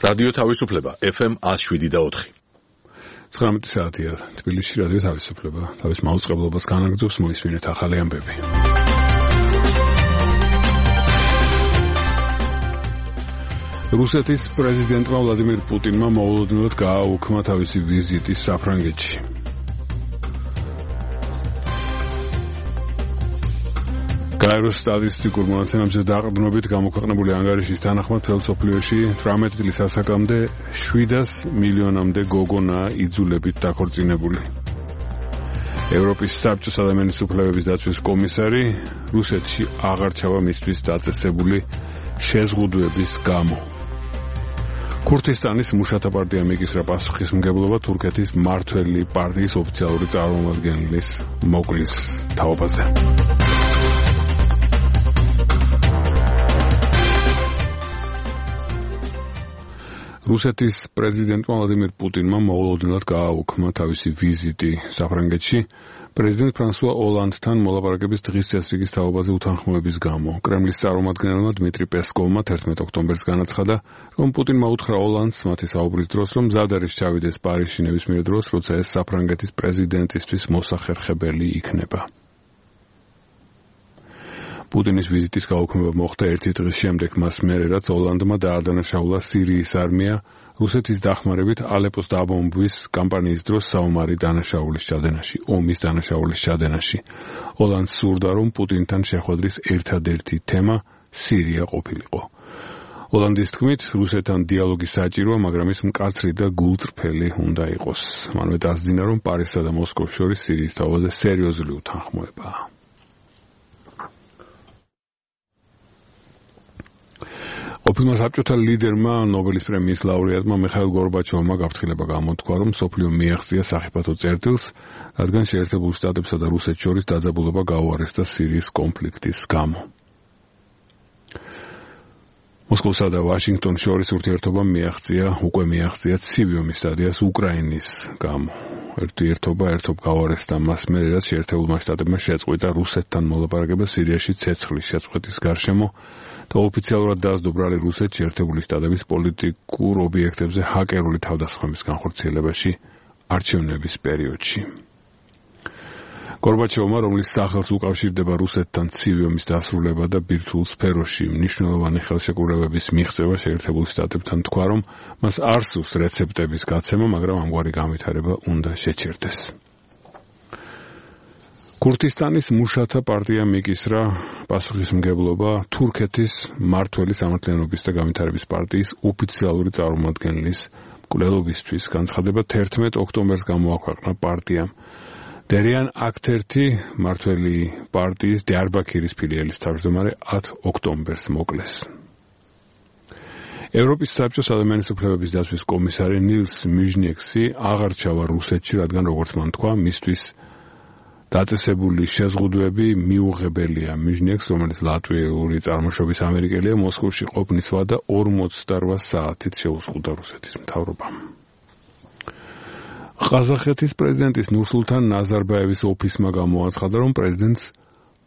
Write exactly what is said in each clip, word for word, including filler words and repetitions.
რადიო თავისუფლება ეფ ემ one oh seven point four. ცხრამეტი საათია თბილისში რადიო თავისუფლება. თავის მაუწყებლობას განაგრძობს მოისმინეთ ახალი ამბები. რუსეთის პრეზიდენტმა ვლადიმირ პუტინმა მოულოდნელად გააუქმა თავისი ვიზიტი საფრანგეთში. გაეროს სტატისტიკურ მონაცემებზე დაყრდნობით გამოქვეყნებული ანგარიშის თანახმად მთელ მსოფლიოში თვრამეტი წლის ასაკამდე შვიდას მილიონამდე გოგონაა იძულებით დაქორწინებული. ევროპის საბჭოს ადამიანის უფლებების დაცვის კომისარი რუსეთში აღარ ჩავა მისთვის დაწესებული შეზღუდვების გამო. ქურთისტანის მუშათა პარტიამ იკისრა პასუხისმგებლობა თურქეთის მმართველი პარტიის ოფიციალური წარმომადგენლის მოკლის თაობაზე. რუსეთის პრეზიდენტმა ვლადიმირ პუტინმა მოულოდნელად გააუქმა თავისი ვიზიტი საფრანგეთში პრეზიდენტ ფრანსუა ოლანდთან მოლაპარაკების დღის წესრიგის თაობაზე უთანხმოების გამო. კრემლის წარმომადგენელმა დმიტრი პესკოვმა თერთმეტ ოქტომბერს განაცხადა, რომ პუტინმა უთხრა ოლანდს მათი საუბრის დროს, რომ მზად არის ჩავიდეს პარიზში ნებისმიერ დროს, როცა ეს საფრანგეთის პრეზიდენტისთვის მოსახერხებელი იქნება. პუტინის ვიზიტის გაუქმება მოხდა ერთი დღის შემდეგ მას მერე, რაც ოლანდმა დაადანაშაულა სირიის არმია რუსეთის დახმარებით ალეპოს დაბომბვის კამპანიის დროს საომარი დანაშაულის ჩადენაში, ომის დანაშაულის ჩადენაში. ოლანდს სურდა, რომ პუტინთან შეხვედრის ერთადერთი თემა სირია ყოფილიყო. ოლანდის თქმით, რუსეთთან დიალოგი საჭიროა, მაგრამ ის მკაცრი და გულწრფელი უნდა იყოს. მანვე დასძინა, რომ პარიზსა და მოსკოვს შორის სირიის თაობაზე სერიოზული უთანხმოებაა. ყოფილმა საბჭოთა ლიდერმა ნობელის პრემიის ლაურეატმა მიხაილ გორბაჩოვმა გაფრთხილება გამოთქვა, რომ მსოფლიო მიაღწია სახიფათო წერტილს, რადგან შეერთებულ შტატებსა და რუსეთს შორის დაძაბულობა გაუარესდა სირიის კონფლიქტის გამო. მოსკოვსა და ვაშინგტონს შორის ურთიერთობამ მიაღწია, უკვე მიაღწია ცივი ომის სტადიას უკრაინის გამო. ურთიერთობა ერთობ გაუარესდა მას მერე, რაც შეერთებულმა შტატებმა შეწყვიტა რუსეთთან მოლაპარაკება სირიაში ცეცხლის შეწყვეტის გარშემო და ოფიციალურად დაასდო ბრალი რუსეთს შეერთებული შტატების პოლიტიკურ ობიექტებზე ჰაკერული თავდასხმების განხორციელებაში არჩევნების პერიოდში. გორბაჩოვმა, რომლის სახელს უკავშირდება რუსეთთან ცივი ომის დასრულება და ბირთვულ სფეროში მნიშვნელოვანი ხელშეკრულებების მიღწევა შეერთებულ შტატებთან თქვა, რომ მას არ სურს რეცეპტების გაცემა, მაგრამ ამგვარი განვითარება უნდა შეჩერდეს. ქურთისტანის მუშათა პარტიამ იკისრა პასუხისმგებლობა თურქეთის მმართველი სამართლიანობის და განვითარების პარტიის ოფიციალური წარმომადგენლის მკვლელობისთვის. განცხადება თერთმეტ ოქტომბერს გამოაქვეყნა პარტიამ. დერიან აქტერთი მმართველი პარტიის დიარბაქირის ფილიალის თავმჯდომარე ათ ოქტომბერს მოკლეს. ევროპის საბჭოს ადამიანის უფლებების დაცვის კომისარი ნილს მიჟნიექსი აღარ ჩავა რუსეთში, რადგან როგორც მან თქვა, მისთვის დაწესებული შეზღუდვები მიუღებელია. მიჟნიექს, რომელიც ლატვიური წარმოშობის ამერიკელია, მოსკოვში ყოფნის ვადა ორმოცდაოთხ საათით შეუზღუდა რუსეთის მთავრობამ. ყაზახეთის პრეზიდენტის ნურსულთან ნაზარბაევის ოფისმა გამოაცხადა, რომ პრეზიდენტს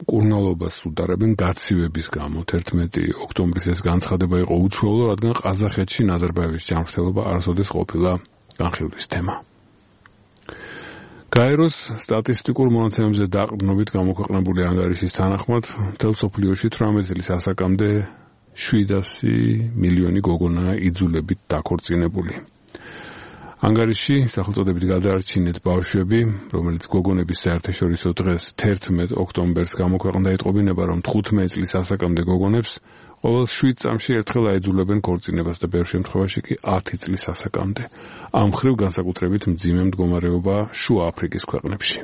მკურნალობას უდარებენ გაცივების გამო. თერთმეტი ოქტომბრის ეს განცხადება იყო უჩვეულო, რადგან ყაზახეთში ნაზარბაევის ჯანმრთელობა არასოდეს ყოფილა განხილვის თემა. გაეროს სტატისტიკურ მონაცემებზე დაყრდნობით გამოქვეყნებული ანგარიშის თანახმად მთელ მსოფლიოში თვრამეტი წლის ასაკამდე შვიდასი მილიონი გოგონაა იძულებით დაქორწინებული. ანგარიში სახელწოდებით გადაარჩინეთ ბავშვები, რომელიც გოგონების საერთაშორისო დღეს თერთმეტ ოქტომბერს გამოქვეყნდა, ეტყობინება, რომ თხუთმეტი წლის ასაკამდე გოგონებს ყოველ შვიდ წამში ერთხელ აიძულებენ ქორწინებას და ბევრ შემთხვევაში კი ათი წლის ასაკამდე. ამ მხრივ განსაკუთრებით მძიმე მდგომარეობაა შუა აფრიკის ქვეყნებში.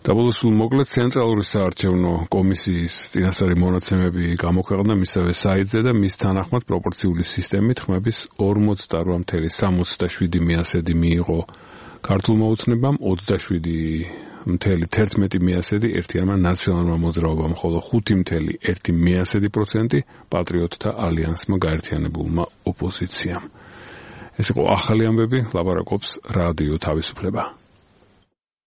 დაბოლოს მოკლედ ცენტრალური საარჩევნო კომისიის წინასწარი მონაცემები გამოქვეყნდა მისსავე საიტზე და მის თანახმად პროპორციული სისტემით ხმების ორმოცდაოთხ მცდე სამოცდაშვიდი მიასედი მიიღო ქართულ მოუცნებამ, ოცდაშვიდი მცდე თერთმეტი მიასედი ერთიანმა ნაციონალურმა მოძრაობამ, ხოლო ხუთი მცდე ერთი მიასედი პროცენტი პატრიოტთა ალიანსმა გაერთიანებულმა ოპოზიციამ. ეს იყო ახალი ამბები, ლაპარაკობს რადიო თავისუფლება.